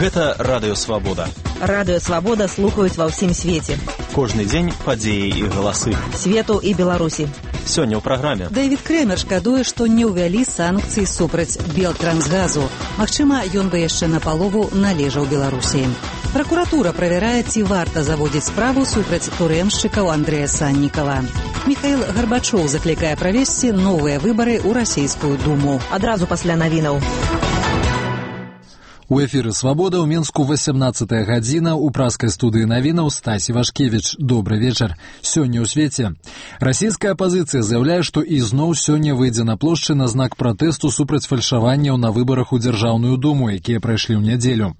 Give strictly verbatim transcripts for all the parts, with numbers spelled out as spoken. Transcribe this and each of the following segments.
Гэта Радыё Свабода. Радыё Свабода слухаюць ва ўсім свеце. Кожны дзень падзеі і галасы Свету і Беларусі. Сёння ў праграме. Дэвід Крэмер шкадуе, што не ўвялі санкцыі супраць Белтрансгазу. Магчыма, ён бы яшчэ напалову належаў Беларусі. Пракуратура правярае, ці варта заводзіць справу супраць турэмшчыкаў Андрэя Саннікава. Міхаіл Гарбачоў заклікае правесці новыя выбары ў расійскую думу. Адразу пасля навінаў. У эфіры «Свабода» ў Мінску васямнаццатая гадзіна, у праскай студыі навінаў Стасі Вашкевіч. Добры вечар. Сёння ў свеце. Расійская апазіцыя заяўляе, што ізноў сёння выйдзе на плошчы на знак пратэсту супраць фальшаванняў на выбарах у Дзяржаўную думу, якія прайшлі ў нядзелю.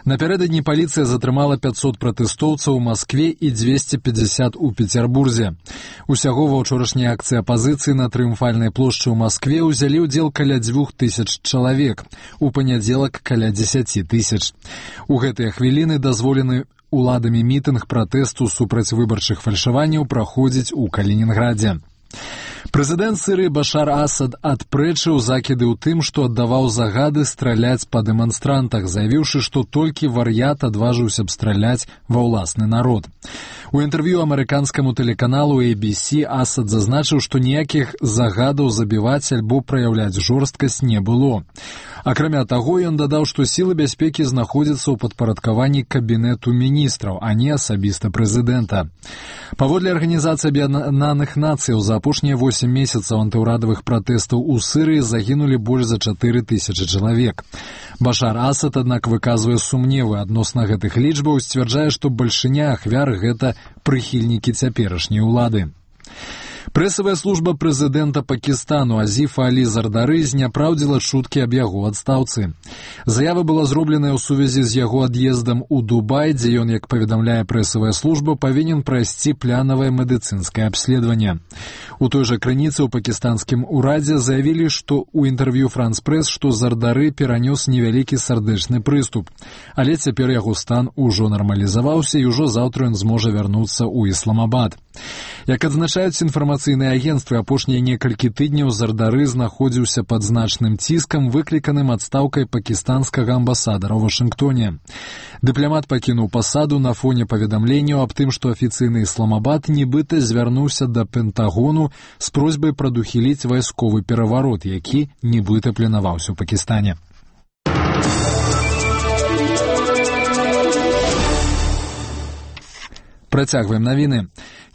Напярэдадні паліцыя затрымала пяцьсот пратэстоўцаў у Маскве і дзвесце пятьдесят у Пецярбурзе. Усяго ва ўчорашняй акцыі апазіцыі на Трыумфальнай плошчы ў Маскве ўзялі ўдзел каля дзвюх тысяч чалавек, у панядзелак каля дзесяці тысяч. У гэтыя хвіліны дазволены уладамі мітынг пратэсту супраць выбарчых фальшаванняў праходзіць у Калінінградзе. Прэзідэнт Сірыі Башар Асад адпрэчыў закіды ў тым, што аддаваў загады страляць па дэманстрантах, заявіўшы, што толькі вар'ят адважыўся б страляць ва ўласны народ. У інтэрв'ю амерыканскаму тэлеканалу эй би си Асад зазначыў, што ніякіх загадаў забіваць альбо праяўляць жорсткасць не было. Акрамя таго, ён дадаў, што сілы бяспекі знаходзяцца ў падпарадкаванні кабінету міністраў, а не асабіста прэзідэнта. Паводле Арганізацыі Аб'яднаных Нацыяў, за апошнія восем месяцаў антыўрадавых пратэстаў у Сірыі загінулі больш за чатыры тысячы чалавек. Башар Асад, аднак, выказвае сумневы адносна гэтых лічбаў, сцвярджае, што бальшыня ахвяр – гэта прыхільнікі цяперашняй улады. Прэсавая служба прэзідэнта Пакістану Азіфа Алі Зардары зняпраўдзіла чуткі аб яго адстаўцы. Заява была зробленая ў сувязі з яго ад'ездам у Дубай, дзе ён, як паведамляе прэсавая служба, павінен прайсці планавае медыцынскае абследаванне. У той жа крыніцы ў пакістанскім урадзе заявілі, што ў інтэрв'ю Франс Прэс, што Зардары перанёс невялікі сардэчны прыступ, але цяпер яго стан ужо нармалізаваўся і ўжо заўтра ён зможа вярнуцца ў Ісламабад. Як адзначаюць інфармацыйныя агенцтвы, апошнія некалькі тыдняў Зардары знаходзіўся пад значным ціскам, выкліканым адстаўкай пакістанскага амбасадара ў Вашынгтоне. Дыпламат пакінуў пасаду на фоне паведамленняў аб тым, што афіцыйны Ісламабад нібыта звярнуўся да Пентагону з просьбай прадухіліць вайсковы пераварот, які нібыта планаваўся ў Пакістане. Працягваем навіны.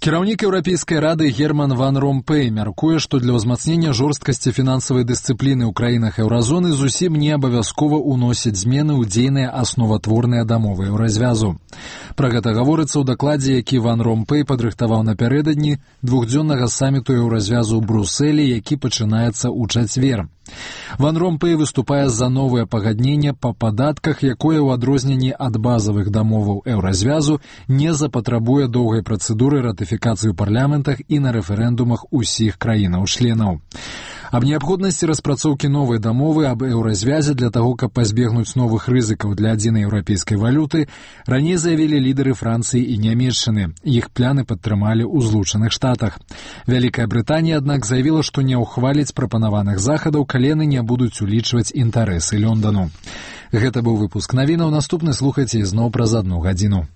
Кіраўнік Еўрапейскай рады Герман Ван Ромпэй мяркуе, што для ўзмацнення жорсткасці фінансавай дысцыпліны ў краінах еўразоны зусім не абавязкова ўносіць змены ў дзейныя асноватворныя дамовы еўразвязу. Пра гэта гаворыцца ў дакладзе, які Ван Ромпэй падрыхтаваў напярэдадні двухдзённага саміту еўразвязу ў Брусэлі, які пачынаецца ў чацвер. Ван Ромпэй выступае за новае пагадненне па падатках, якое ў адрозненні ад базавых дамоваў еўразвязу не запатрабуе доўгай працэдуры ратыфікацыі ў парламентах і на рэферэндумах усіх краінаў-членаў. Аб неабходнасці распрацоўкі новай дамовы аб еўразвязе для таго, каб пазбегнуць новых рызыкаў для адзінай еўрапейскай валюты, раней заявілі лідары Францыі і Нямецчыны. Іх пляны падтрымалі ў Злучаных Штатах. Вялікая Брытанія, аднак, заявіла, што не ўхваліць прапанаваных захадаў, калі яны не будуць улічваць інтарэсы Лондану. Гэта быў выпуск навінаў. Наступны слухайце ізноў праз адну гадзіну.